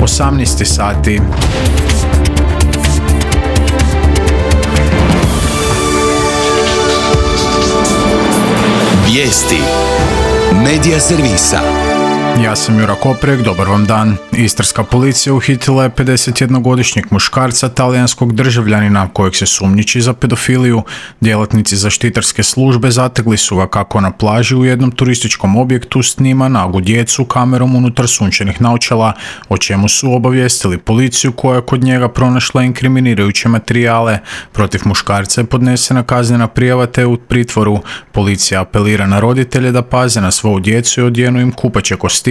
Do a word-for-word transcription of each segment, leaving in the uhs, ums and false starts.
osamnaest sati. Vijesti Medija servisa. Ja sam Jura Koprek, dobar vam dan. Istarska policija uhitila je pedesetjednogodišnjeg muškarca talijanskog državljanina kojeg se sumnjiči za pedofiliju. Djelatnici zaštitarske službe zategli su ga kako na plaži u jednom turističkom objektu snima nagu djecu kamerom unutar sunčanih naočala, o čemu su obavijestili policiju koja je kod njega pronašla inkriminirajuće materijale. Protiv muškarca je podnesena kaznena prijava te u pritvoru. Policija apelira na roditelje da paze na svoju djecu i odjenu im kupaće kostime,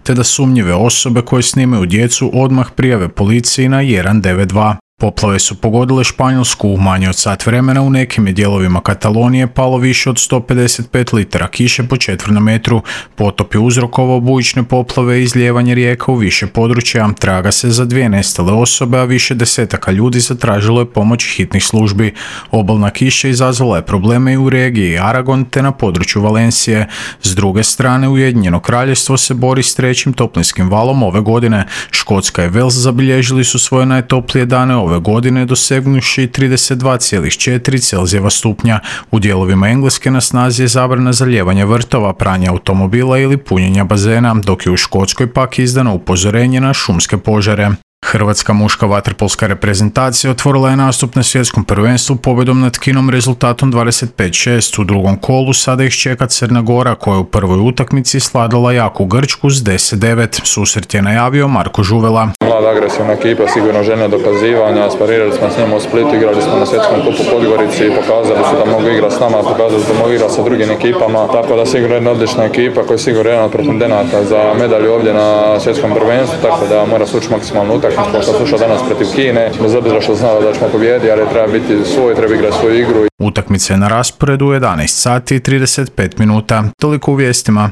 te da sumnjive osobe koje snimaju djecu odmah prijave policiji na jedan devet dva. Poplave su pogodile Španjolsku. U manje od sat vremena u nekim je dijelovima Katalonije palo više od sto pedeset pet litara kiše po četvrnom metru. Potop je uzrokovao bujične poplave i izlijevanje rijeka u više područja. Traga se za dvije nestale osobe, a više desetaka ljudi zatražilo je pomoć hitnih službi. Obalna kiša izazvala je probleme i u regiji Aragon te na području Valencije. S druge strane, Ujedinjeno kraljevstvo se bori s trećim toplinskim valom ove godine. Škotska i Wales zabilježili su svoje najtoplije dane ove godine, dosegnuši trideset dva zarez četiri Celzijeva stupnja. U dijelovima Engleske na snazi je zabrana zalijevanja vrtova, pranja automobila ili punjenja bazena, dok je u Škotskoj pak izdano upozorenje na šumske požare. Hrvatska muška vaterpolska reprezentacija otvorila je nastup na svjetskom prvenstvu pobjedom nad Kinom rezultatom dvadeset pet šest. U drugom kolu sada ih čeka Crna Gora koja je u prvoj utakmici sladala jaku Grčku s deset devet. Susret je najavio Marko Žuvela. Mlada agresivna ekipa, sigurno željna dokazivanja, sparirali smo s njima u Splitu, igrali smo na svjetskom kupu Podgorici, pokazali su da mogu igrati s nama, pokazali su da mogu igrati sa drugim ekipama, tako da sigurno jedna odlična ekipa koja je sigurno jedan od pretendenata za medalju ovdje na svjetskom prvenstvu, tako da mora sući maksimalno utakmicu. Kao što slušao danas protiv Kine, bez obzira što znao da ćemo pobjediti, ali treba biti svoj, treba igrati svoju igru. Utakmica je na rasporedu u jedanaest sati i trideset pet minuta. Toliko u vijestima.